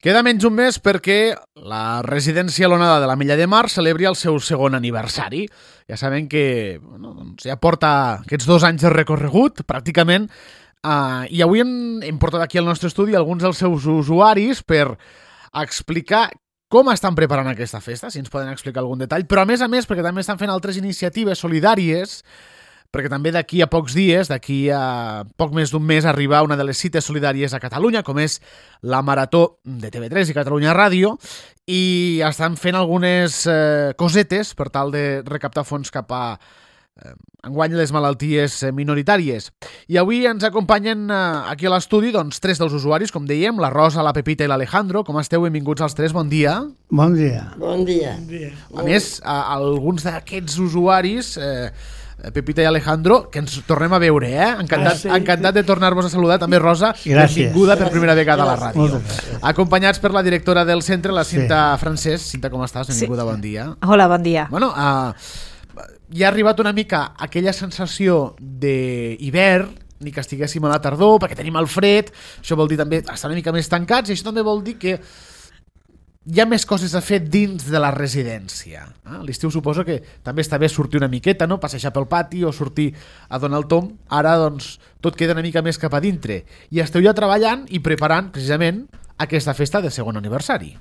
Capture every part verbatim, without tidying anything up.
Queda menys un mes perquè la residència L'Onada de l'Ametlla de Mar celebri el seu segon aniversari. Ja sabem que bueno, doncs ja porta aquests dos anys de recorregut, pràcticament, uh, i avui hem, hem portat aquí al nostre estudi alguns dels seus usuaris per explicar com estan preparant aquesta festa, si ens poden explicar algun detall, però a més a més perquè també estan fent altres iniciatives solidàries, perquè també d'aquí a pocs dies, d'aquí a poc més d'un mes, arriba una de les cites solidàries a Catalunya, com és la Marató de T V tres i Catalunya Ràdio, i estan fent algunes eh, cosetes per tal de recaptar fons cap a eh, enguany les malalties minoritàries. I avui ens acompanyen eh, aquí a l'estudi doncs, tres dels usuaris, com dèiem, la Rosa, la Pepita i l'Alejandro. Com esteu? Benvinguts als tres, bon dia. Bon dia. Bon dia. Bon dia. A més, a, alguns d'aquests usuaris... Eh, Pepita i Alejandro, que ens tornem a veure, eh? Encantat, ah, sí. encantat de tornar-vos a saludar. També Rosa, gràcies. Benvinguda per primera vegada a la ràdio. Gràcies. Acompanyats per la directora del centre, la Cinta sí. Francesc. Cinta, com estàs? Benvinguda, sí. Bon dia. Hola, bon dia. Bueno, uh, ja ha arribat una mica aquella sensació d'hivern, ni que estiguéssim a la tardor, perquè tenim el fred, això vol dir també estar una mica més tancats, i això també vol dir que hi ha més coses a fer dins de la residència. A l'estiu suposo que també està bé sortir una miqueta, no? Passejar pel pati o sortir a donar el tom. Ara, doncs, tot queda una mica més cap a dintre. I esteu ja treballant i preparant, precisament, aquesta festa de segon aniversari.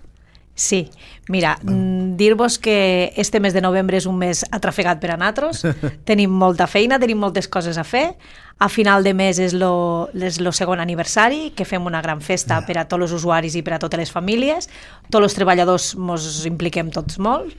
Sí, mira, mm. dir-vos que este mes de novembre és un mes atrafegat per a nosaltres, tenim molta feina, tenim moltes coses a fer. A final de mes és lo, és lo segon aniversari, que fem una gran festa per a tots els usuaris i per a totes les famílies. Tots els treballadors ens impliquem tots molt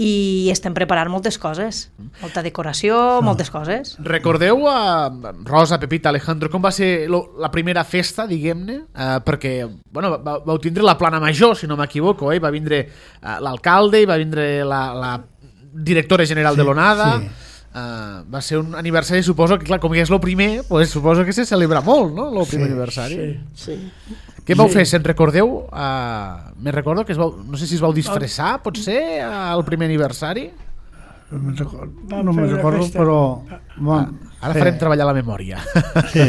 i estem preparant moltes coses, molta decoració, no. moltes coses. Recordeu a Rosa, Pepita, Alejandro, com va ser lo, la primera festa, diguem-ne? Uh, perquè bueno, va, vau tindre la plana major, si no m'equivoco, eh? Va vindre uh, l'alcalde i va vindre la, la directora general sí, de l'Onada. Sí. Uh, va ser un aniversari, suposo que clar, com que és el primer, pues, suposo que se celebra molt, no? El primer sí, aniversari. Sí, sí. Què vau sí. fer? Se'n recordeu? Uh, me recordo que es vau, no sé si es vau disfressar, potser, al primer aniversari? No me'n recordo, no me recordo però... Bon, uh, ara sí. farem treballar la memòria. Sí.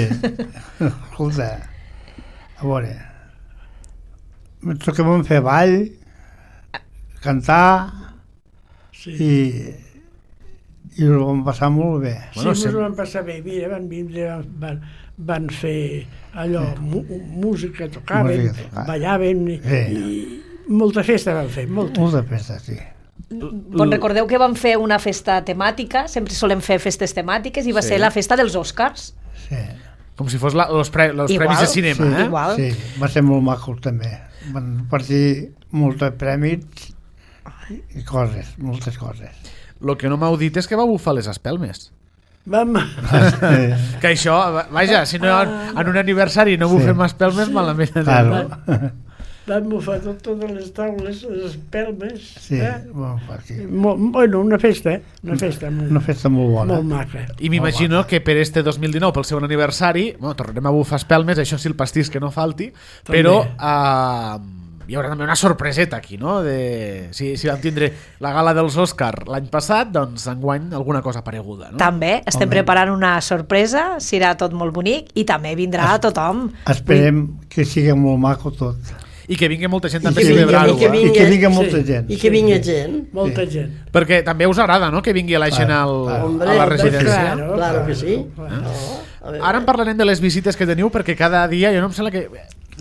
Escolta, a veure, que vam fer ball, cantar sí. i... i ho vam passar molt bé. Sí, bueno, ens ho vam passar bé. Mira, van vindre, van, van fer allò, sí. música, tocaven, música, ballaven, sí. i molta festa van fer, molta. Molta festa, sí. Bon, recordeu que vam fer una festa temàtica, sempre solem fer festes temàtiques, i va sí. ser la festa dels Oscars. Sí. Com si fos la, los, pre, los igual, premis de cinema, sí, eh? Igual. Sí, va ser molt maco també. Van partir molts premis i coses, moltes coses. El que no m'heu dit és que va bufar les espelmes. Vam... que això, vaja, si no en un aniversari no bufem sí. espelmes, sí. malament. Claro. Vam bufar tot, totes les taules, les espelmes. Sí, eh? molt sí. Bueno, una festa, eh? Una festa molt, una festa molt bona. Molt maca. I m'imagino que per este dos mil dinou, pel segon aniversari, bueno, tornarem a bufar espelmes, això sí, el pastís que no falti, també. Però... Uh, hi haurà també una sorpreseta aquí, no? De, si, si vam tindre la gala dels Òscar l'any passat, doncs enguany alguna cosa pareguda, no? També, estem Home. preparant una sorpresa, serà tot molt bonic i també vindrà es, tothom. Esperem que sigui molt maco tot. I que vingui molta gent també a celebrar-ho. I, i que vingui molta sí. gent. I que vingui gent. Molta sí. gent. Perquè també us agrada, no?, que vingui la gent al, Hombre, a la residència. Claro, claro que sí. Eh? No. Ara en parlarem de les visites que teniu, perquè cada dia, jo no em sembla que...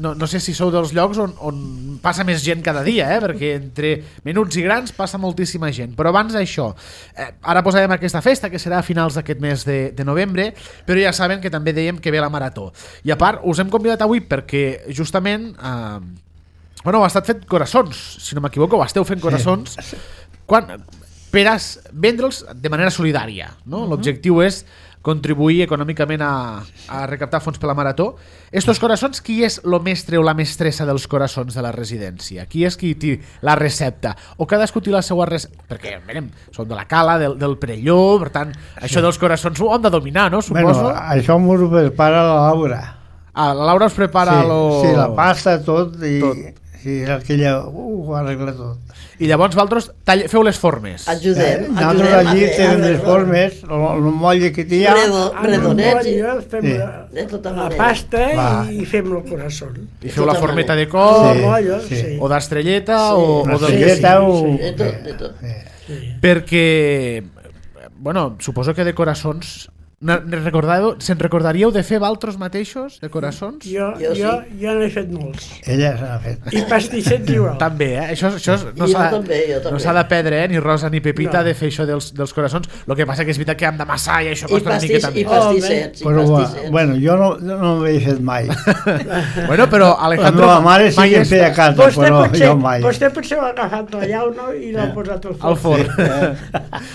No, no sé si sou dels llocs on, on passa més gent cada dia, eh? Perquè entre menuts i grans passa moltíssima gent. Però abans d'això, eh, ara posarem aquesta festa, que serà a finals d'aquest mes de, de novembre, però ja saben que també dèiem que ve la Marató. I a part, us hem convidat avui perquè justament... Eh, bueno, heu estat fent coraçons, si no m'equivoco, ho esteu fent coraçons, sí. quan, per a vendre'ls de manera solidària, no? Uh-huh. L'objectiu és contribuir econòmicament a, a recaptar fons per la Marató. Estos coraçons, qui és el mestre o la mestressa dels coraçons de la residència? Qui és qui té la recepta? O cadascú té la seva recepta? Perquè, mirem, som de la Cala, del, del Perelló, per tant, això sí. dels coraçons ho hem de dominar, no? Suposo. Bueno, això m'ho prepara la Laura. Ah, la Laura us prepara sí, lo... Sí, la pasta, tot. I... tot. sí, era aquella... Uh, ho arregla tot. I llavors vosaltres tall... feu les formes. Ajudem, Eh, nosaltres ajudem allí a fer- tenen a fer- les formes, el, el molle que té ja... Redo, redonets i... Redonets, fem Sí. la, De tota la manera. pasta Va. i fem el corazón. I feu la tota formeta de manera. cor, Sí. Mollo, sí. sí. o d'estrelleta, Sí. o, Una o del que estrelleta sigui. o... De tot, de tot. Sí. Sí. Perquè, bueno, suposo que de coraçons... Ne ne recordàveu, se'n recordaríeu de fer valtros mateixos, de coraçons? Jo, Jo jo, sí. jo n'he fet molts. Ella s'ha fet. I pastissets igual. També, eh? Això, això no Jo s'ha també, jo també. no s'ha de perdre, eh? Ni Rosa ni Pepita, No. de fer això dels, dels coraçons. El que passa que és veritat que hem d'amassar i això I, costa una pastis, miqueta i més. pastissets, i Però, pastissets. bueno, jo no, no m'he fet mai. Bueno, però La Alejandro... meva mare sí mai que em feia està casa, Vostè però potser, jo mai. vostè potser l'ha agafat la llauna i l'ha posat al al forn. forn.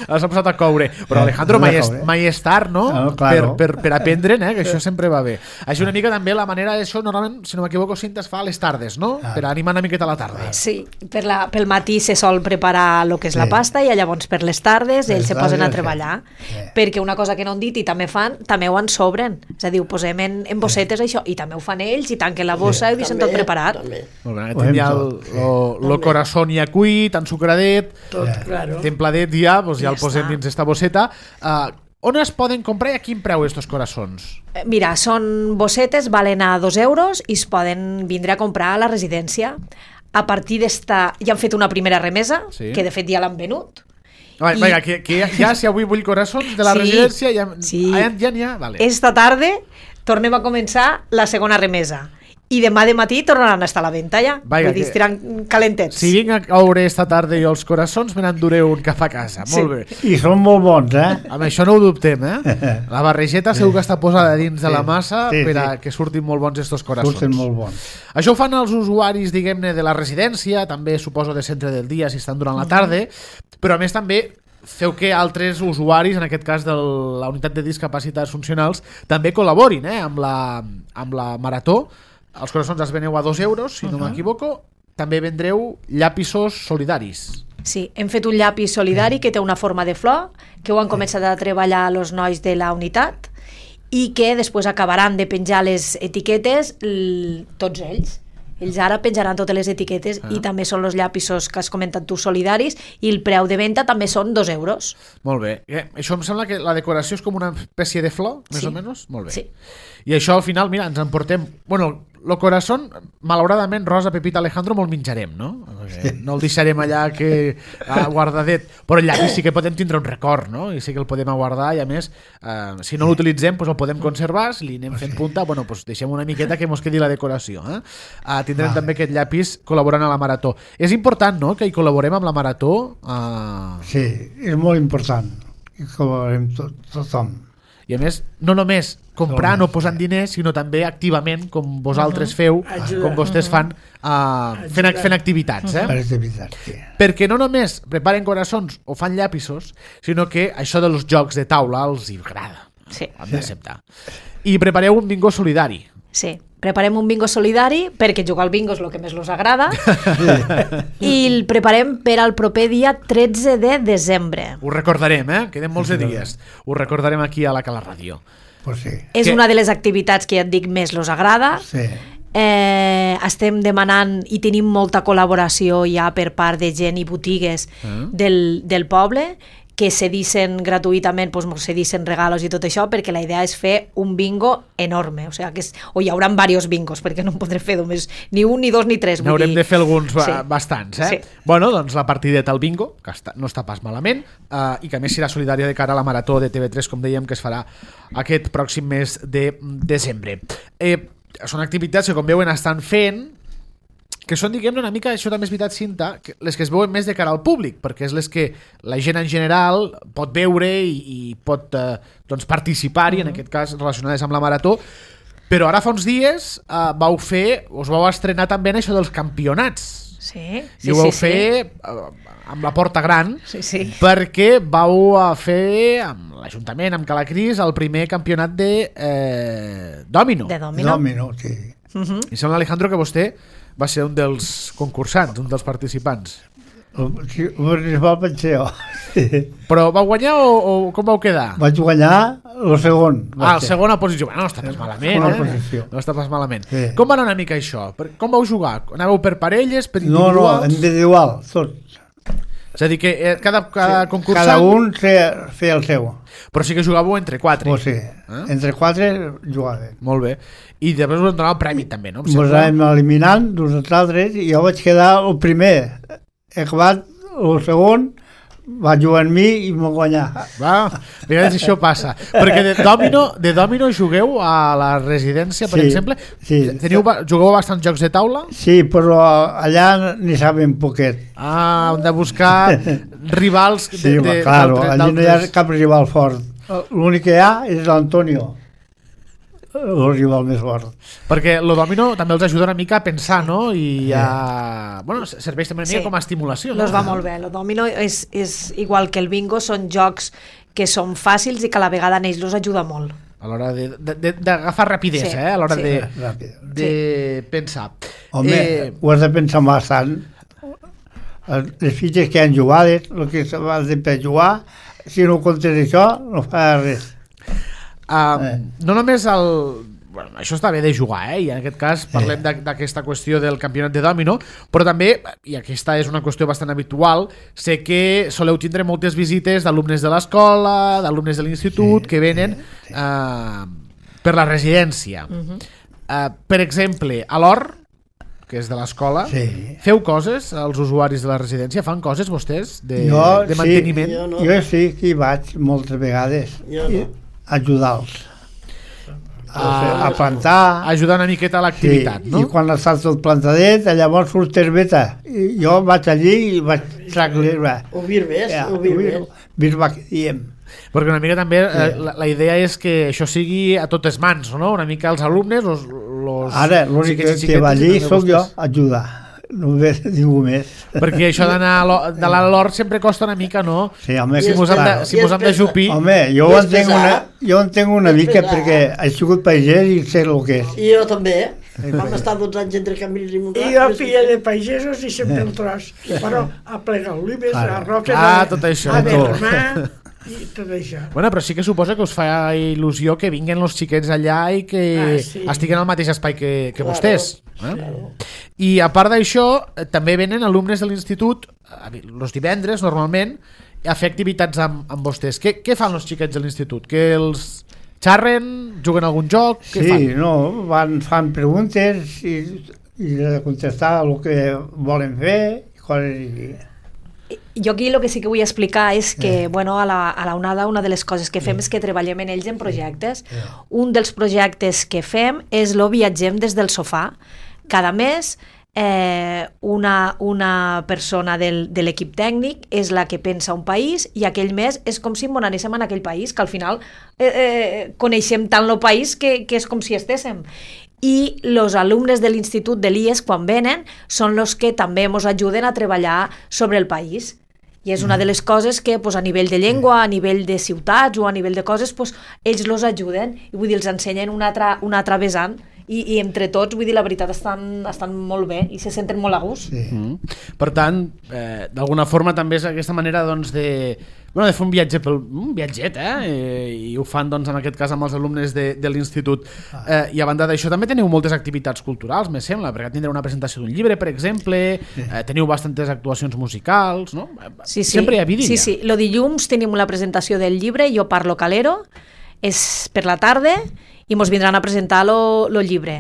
L'has posat a coure. Però Eh, Alejandro, no mai a és, coure. mai és tard, no? Ah, claro. Per, per, per aprendre'n, eh? Que això sempre va bé. Així una mica també la manera d'això, normalment, si no m'equivoco, Cinta, es fa a les tardes, no? Ah. Per animar una miqueta a la tarda. Sí, per la, pel matí se sol preparar el que és la Sí. pasta i llavors per les tardes Les ells se posen a tardes, treballar. sí. Perquè una cosa que no han dit i també fan, també ho en sobren. És a dir, ho posem en, en bossetes això i també ho fan ells i tanquen la bossa i ho deixen tot preparat. També. Molt bé, Ho aquest hem ja el, tot, sí. lo, lo corazón ja cuit, ensucradet, Tot, claro. templadet ja, doncs ja Ja el posem està. dins esta bosseta. Uh, on es poden comprar i a quin preu estos coraçons? Eh, Mira, són bossetes, valen a dos euros i es poden vindre a comprar a la residència. A partir d'esta... Ja han fet una primera remesa, Sí. que de fet ja l'han venut. Va, I- Vinga, que, que ja, ja si avui vull coraçons de la Sí, residència, ja sí. ja ja n'hi ha, vale. Esta tarda tornem a començar la segona remesa. I demà de matí tornaran a estar a la venda ja. Vaja, Vull dir, que- estiran calentets. Si vinc a caure esta tarda jo els coraçons, me n'enduré un cap a casa. Sí. Molt bé. I són molt bons, eh? Amb això no ho dubtem, eh? La barregeta segur que està posada dins de la Sí, massa sí, per a sí. que surtin molt bons estos coraçons. Surten molt bons. Això ho fan els usuaris, diguem-ne, de la residència, també suposo de centre del dia si estan durant la tarda, però a més també feu que altres usuaris, en aquest cas de la unitat de discapacitats funcionals, també col·laborin eh, amb, la, amb la marató. Els coraçons els veneu a dos euros, si no m'equivoco. També vendreu llapissos solidaris. Sí, hem fet un llapis solidari que té una forma de flor, que ho han començat a treballar els nois de la unitat i que després acabaran de penjar les etiquetes l- tots ells. Ells ara penjaran totes les etiquetes ah. i també són els llapissos que has comentat tu solidaris i el preu de venda també són dos euros. Molt bé. Eh, això em sembla que la decoració és com una espècie de flor, més Sí. o menys? Molt bé. Sí. I això al final, mira, ens emportem... Bueno, lo corazón, malauradament, Rosa, Pepita, Alejandro, me'l menjarem, no? Perquè no el deixarem allà que ah, guardadet. Però el llapis sí que podem tindre un record, no? I sí que el podem aguardar i, a més, eh, si no l'utilitzem, pues el podem conservar, si li anem fent punta, bueno, pues deixem una miqueta que mos quedi la decoració. Eh? Eh, tindrem Vale. també aquest llapis col·laborant a la Marató. És important, no?, que hi col·laborem amb la Marató. Eh... Sí, és molt important. I col·laborem tot, tothom. I a més, no només comprant o posant diners, sinó també activament, com vosaltres feu, Ajudar. com vostès fan, uh, fent, fent activitats. Per Eh? activitat, sí. Perquè no només preparen coraçons o fan llapissos, sinó que això dels jocs de taula els hi agrada. Sí. Ho hem d'acceptar. I prepareu un bingo solidari. Sí, preparem un bingo solidari perquè jugar al bingo és el que més els agrada i el preparem per al proper dia tretze de desembre. Ho recordarem, eh? Queden molts de dies. Ho recordarem aquí a la Cala Ràdio. Pues sí. És Que- una de les activitats que ja et dic més els agrada. Sí. Eh, estem demanant i tenim molta col·laboració ja per part de gent i botigues Ah. del, del poble que cedissin gratuïtament, doncs, mos cedissin regalos i tot això, perquè la idea és fer un bingo enorme, o, sigui, que és, o hi haurà diversos bingos, perquè no en podré fer només ni un, ni dos, ni tres. vull N'haurem dir- de fer alguns ba- Sí. bastants, eh? Sí. Bueno, doncs la partideta al bingo, que està, no està pas malament, eh, i que a més serà solidària de cara a la Marató de T V tres, com dèiem, que es farà aquest pròxim mes de desembre. Eh, són activitats que, com veuen, estan fent, que són, diguem-ne, una mica, això també és veritat, Cinta, que les que es veuen més de cara al públic, perquè és les que la gent en general pot veure i, i pot eh, doncs participar-hi, en aquest cas relacionades amb la Marató. Però ara fa uns dies eh, vau fer, us vau estrenar també en això dels campionats. Sí, I ho vau fer eh, amb la porta gran, Sí, sí. perquè vau eh, fer amb l'Ajuntament, amb Calacris, el primer campionat de eh, Dòmino. De domino. Domino, sí. I sembla, Alejandro, que vostè va ser un dels concursants, un dels participants. El, sí, el principal vaig ser jo. Sí. Però vau guanyar o, o com vau quedar? Vaig guanyar el segon. Ah, el segona posició. Bueno, no està pas malament, segona eh? posició. No està pas malament. Sí. Com va anar una mica això? Per- Com vau jugar? Anàveu per parelles, per No, no, individuals? individual, tot. És a dir, que eh, cada, cada concursant... Cada un feia, feia el seu. Però sí que jugàveu entre quatre. O sigui, Eh? entre quatre jugaven. Molt bé. I després us donava el premi també, no? Em Ens sembla. anàvem eliminant d'uns altres i jo vaig quedar el primer. He acabat el segon, va jugar amb mi i m'ho guanyar. Va, a vegades això passa. Perquè de domino, de domino jugueu a la residència, per Sí, exemple? sí. Teniu, ba- jugueu a bastants jocs de taula? Sí, però allà n'hi saben poquet. Ah, hem de buscar rivals de, Sí, de, claro, d'altres- allí no hi ha d'altres- cap rival fort. L'únic que hi ha és l'Antonio, el rival més fort. Perquè el domino també els ajuda una mica a pensar, no? I a... Bueno, serveix també una mica Sí. com a estimulació, no? Los va molt bé. El domino és, és igual que el bingo, són jocs que són fàcils i que a la vegada en ells los ajuda molt. A l'hora de- de- de- d'agafar rapidesa, Sí, eh? A l'hora sí. de, Ràpid. de pensar. Home, Eh, ho has de pensar bastant. Les fitxes que han jugat, el que s'ha de per jugar, si no comptes això, no fa res. Uh, Eh. no només el... Bueno, això està bé de jugar, eh? I en aquest cas parlem d'a- d'aquesta qüestió del campionat de domino, però també, i aquesta és una qüestió bastant habitual, sé que soleu tindre moltes visites d'alumnes de l'escola, d'alumnes de l'institut, Sí, que venen uh, per la residència. Mhm. Uh, per exemple, a l'Hort, que és de l'escola, Sí. feu coses als usuaris de la residència? Fan coses vostès de, Jo, de sí. manteniment? Jo no. Jo sí que hi vaig moltes vegades Jo no. a ajudar-los. A, Ah, a plantar. Ajudar una miqueta a l'activitat, sí, no? I quan està tot plantadet, llavors surt herbeta. I jo vaig allí i vaig tractar-li. O virbes, Ja, o virbes. Birba que diem. Perquè una mica també eh, la, la idea és que això sigui a totes mans, no? Una mica els alumnes, los, los Ara, l'únic xiquets i que, que va xiquetes i allí també sóc jo, vostès. a ajudar. No ve ningú més. Perquè això d'anar a l'Hort- de l'anar a l'Hort sempre costa una mica, no? Sí, home, Si I mos hem de, clar. si mos hem de jupir... Home, jo I ho és entenc pesat. una, jo entenc una És mica pesat. perquè he sigut pagès i sé el que és. I jo també. Vam estar dotze anys entre Camins i I Montrat. jo, filla de pagesos, i sempre el tros. Però a plegar olives, Claro. a roses, Ah, a, tot això. a Tot. vermar, i tot això. Bueno, però sí que suposa que us fa il·lusió que vinguin els xiquets allà i que Ah, sí. estiguen al mateix espai que, que Claro. vostès. Eh? I a part d'això, eh, també venen alumnes de l'institut, els divendres normalment, a fer activitats amb, amb vostès. Què, què fan els xiquets de l'institut? Que els xarren, juguen a algun joc? Què Sí, fan? no, van, fan preguntes i, i de contestar el que volen fer i coses així. Jo aquí el que sí que vull explicar és que bueno, a, la, a la onada una de les coses que fem és que treballem en ells en projectes. Un dels projectes que fem és lo viatgem des del sofà. Cada mes eh, una, una persona del, de l'equip tècnic és la que pensa un país i aquell mes és com si ens anéssim en aquell país, que al final eh, eh, coneixem tant el país que, que és com si estéssim. I els alumnes de l'institut de l'I E S, quan venen, són els que també ens ajuden a treballar sobre el país. I és una de les coses que pues, a nivell de llengua, a nivell de ciutats o a nivell de coses, pues, ells los ajuden i vull dir, els ensenyen un altre, un altre vessant i, i entre tots, vull dir, la veritat, estan, estan molt bé i se senten molt a gust. Sí. Mm. Per tant, eh, d'alguna forma també és aquesta manera doncs, de, bueno, de fer un viatge pel, un viatget, eh? eh? I ho fan doncs, en aquest cas amb els alumnes de, de l'institut. Eh, I a banda d'això també teniu moltes activitats culturals, me sembla, perquè tindreu una presentació d'un llibre, per exemple, eh, teniu bastantes actuacions musicals, no? Sí, sí. Sempre hi ha vidilla. Sí, sí. Lo dilluns tenim la presentació del llibre, Jo parlo calero, és per la tarda i mos vindran a presentar lo, lo llibre.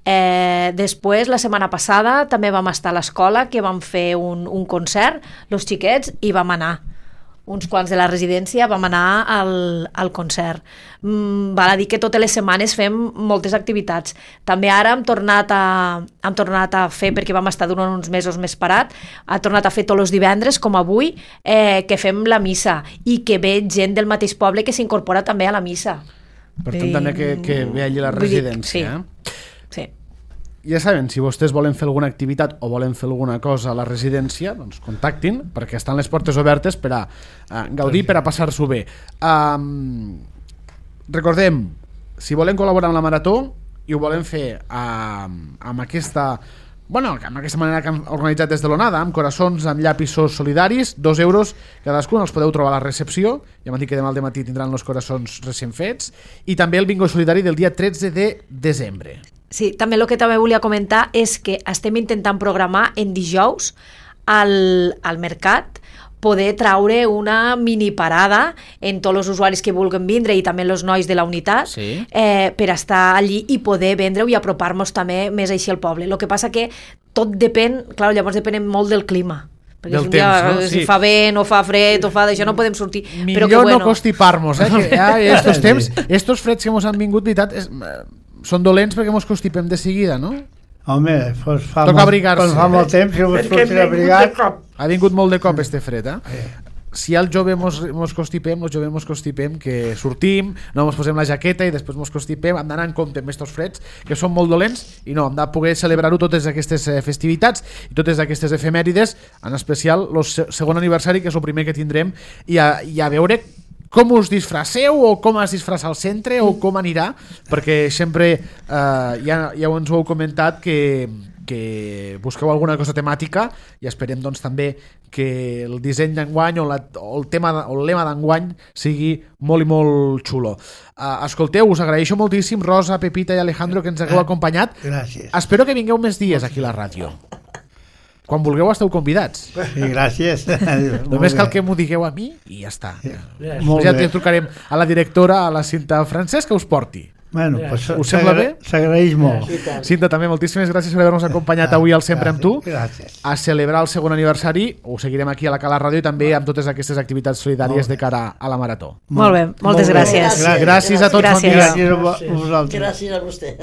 Eh, després, la setmana passada, també vam estar a l'escola, que vam fer un, un concert, los xiquets, i vam anar. Uns quants de la residència vam anar al, al concert. Mm, val a dir que totes les setmanes fem moltes activitats. També ara hem tornat a, hem tornat a fer, perquè vam estar durant uns mesos més parat, ha tornat a fer tots els divendres, com avui, eh, que fem la missa i que ve gent del mateix poble que s'incorpora també a la missa. Per tant, I- també que, que ve allí la vull dir, residència. sí. Eh? Sí. Ja saben, si vostès volen fer alguna activitat o volen fer alguna cosa a la residència, doncs contactin, perquè estan les portes obertes per a uh, gaudir, per a passar-s'ho bé. Um, recordem, si volen col·laborar amb la Marató i ho volen fer uh, amb aquesta bueno, amb aquesta manera que han organitzat des de l'Onada, amb coraçons, amb llapissos solidaris, dos euros cadascun, els podeu trobar a la recepció, ja m'han dit que demà al dematí tindran els coraçons recent fets, i també el bingo solidari del dia tretze de desembre. Sí, també el que també volia comentar és que estem intentant programar en dijous al, al mercat poder traure una mini parada en tots els usuaris que vulguin vindre i també els nois de la unitat sí. eh, per estar allí i poder vendre-ho i apropar-nos també més així al poble. El que passa que tot depèn, clar, llavors depèn molt del clima. Perquè del si un dia temps, no? si Sí. fa vent o fa fred o fa d'això no podem sortir. Millor però que, bueno, no constipar-nos, eh? Que ja estos temps, estos freds que mos han vingut, veritat, és, són dolents perquè mos constipem de seguida, no? Home, pues fa, Toca molt, abrigar-se. pues fa molt temps que no es Perquè pot hem abrigar. vingut de cop. Ha vingut molt de cop este fred, eh? Si al jove mos, mos constipem, els joves mos constipem, que sortim, no mos posem la jaqueta i després mos constipem, hem d'anar en compte amb estos freds, que són molt dolents, i no, hem de poder celebrar-ho totes aquestes festivitats i totes aquestes efemèrides, en especial el segon aniversari, que és el primer que tindrem, i a, i a veure com us disfresseu o com es disfressa al centre o com anirà, perquè sempre eh, ja, ja ens ho heu comentat que, que busqueu alguna cosa temàtica i esperem doncs també que el disseny d'enguany o, la, o el tema o el lema d'enguany sigui molt i molt xulo. Uh, escolteu, us agraeixo moltíssim, Rosa, Pepita i Alejandro, que ens hagueu acompanyat. Gràcies. Espero que vingueu més dies aquí a la ràdio. Quan vulgueu esteu convidats. Sí, gràcies. Només cal que m'ho digueu a mi i ja està. Sí. Ja, Molt ja bé. trucarem a la directora, a la Cinta Francesc, que us porti. Bueno, pues Us sembla bé? s'agraeix molt. Cinta, també moltíssimes gràcies per haver-nos acompanyat avui al Sempre amb tu, Gràcies. a celebrar el segon aniversari. Ho seguirem aquí a la Cala Ràdio i també amb totes aquestes activitats solidàries de cara a la Marató. Molt bé, moltes Molt bé. gràcies. Gràcies. Gràcies a tots, bon Gràcies. dia. Gràcies a vosaltres. Gràcies a vostè.